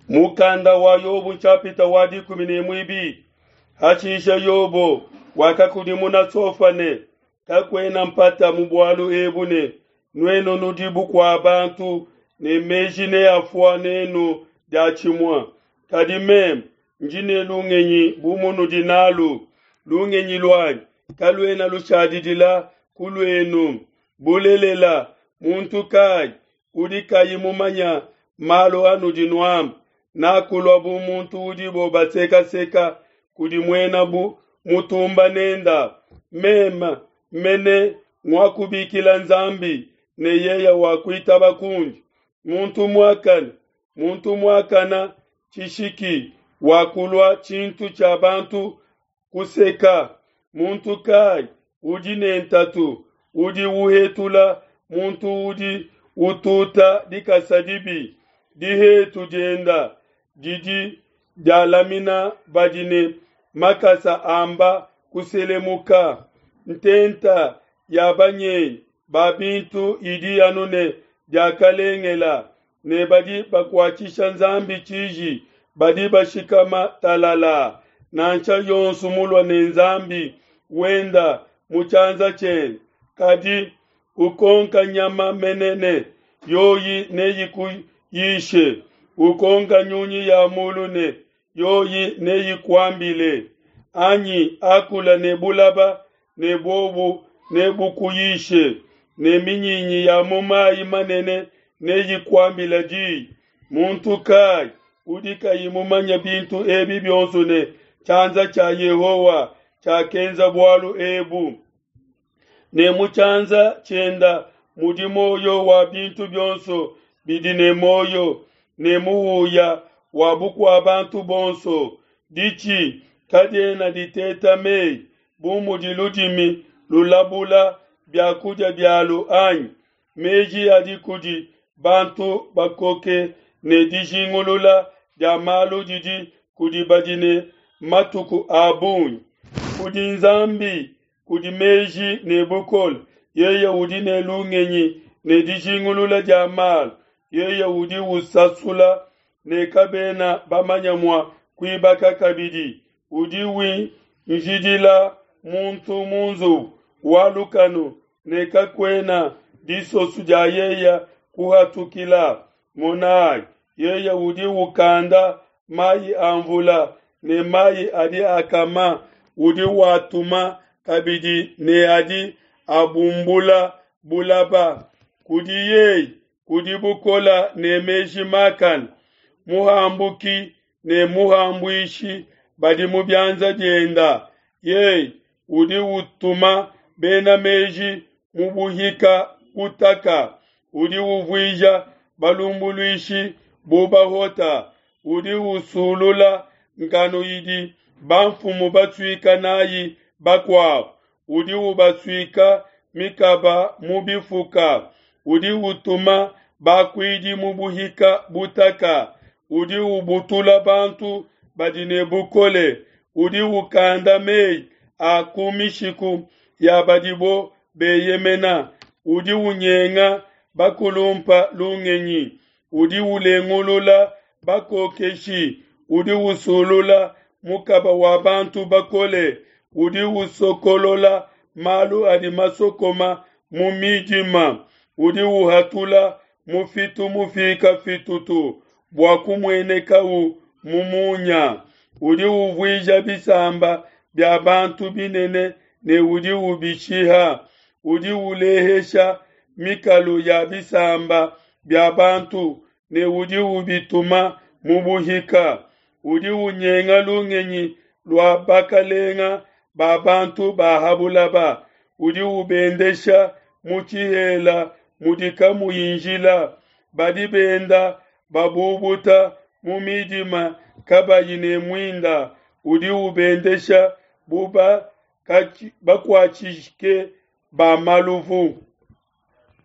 Mukanda wa Yobo nshapita wa 12. Hashishe Yobo wakakudimuna Sofa ne, Kakuena mpata mu bualu ebu ne, Nuenu nudi bukua bantu ne meji neafua nenu diatshimue. Kadi meme ndi ne lungenyi bu munudi nalu. Lungenyi luanyi kaluena lushadidila ku luenu. Bulelela, muntu kayi udi kayi mumanya malu anudi nuamba? Nakulua bu muntu udibo basekaseka kudi muena bu mutumba nenda. Meme mene nguakubikila Nzambi, ne yeye wakuitaba kundi. Muntu muakane, muntu muakana tshishiki wakulua tshintu tshia bantu kuseka. Muntu kayi udi ne ntatu udi uhetula muntu udi ututa dikasa dibi? Dihetu dienda didi dialamina badi ne makasa amba kuselemuka. Ntenta ya banyengi ba bintu idi anu ne diakalengela, ne badi bakuatshisha Nzambi tshiji badi bashikama talala. Nansha yonso mulua ne Nzambi wenda mu tshianza tshiende, kadi ukonka nyama menene, yoyi neyikuyishe. Ukonka nyunyi ya mulu ne yoyi neyikuambile. Anyi akula ne bulaba ne bobu nebukuyishe, ne minyinyi ya mu mayi manene neyikuambile diyi. Muntu kayi udi kayi mumanye bintu ebi bionso ne tshianza tshia Yehowa tshiakenza bualu ebu? Ne mu tshianza tshienda mudi muoyo wa bintu bionso bidi ne muoyo, ne muhuya wa bukua bantu bonso. Ditshi kadiena diteta meyi bu mudi ludimi lulabula biakudia bialu anyi? Meji adi kudi bantu bakoke ne dijingulula dia malu didi kudi badi ne matuku a bungi. Kudi Nzambi kudi meji ne bukole, yeye udi ne lungenyi ne dijingulula dia malu, yeye udi usasula ne kabena bamanya mua kuibaka kabidi, udi winjidila muntu mu nzubu wa lukanu ne kakuena disoso dia yeye kuhatukila. Monai, yeye udi ukanda mayi a mvula ne mayi adi akama, udi watuma kabidi ne adi abumbula bulaba. Kudi yeye kudi bukola ne meji makane, muhambuki ne muhambuishi badi mu bianza bienda. Yeye udi utuma bena meji mu buhika butaka, udi uvuija balumbuluishi bu bahota, udi usulula nkanu idi bamfumu basuika nayi bakuabu, udi ubasuika mikaba mu bifuka, udi utuma bakuidi mu buhika butaka, udi ubutula bantu badi ne bukole, udi ukanda meyi a ku mishiku ya badibo beyemena, udi unyenga bakulumpa lungenyi, udi ulengulula bakokeshi, udi usulula mukaba wa bantu bakole, udi usokolola malu adi masokoma mu midima, udi uhatula mufitu mufika fitutu bua kumuenekau mu munya, udi uvuija bisamba bia bantu binene ne udi ubishiha, udi ulehesha mikalu ya bisamba bia bantu ne udi ubituma mu buhika, udi unyenga lungenyi lua bakalenga ba bantu ba ha bulaba, udi ubendesha mu tshihela mudi kamuyi njila, badi benda babubuta mu midima kabayi ne muinda, udi ubendesha bu bakuatshike ba maluvu.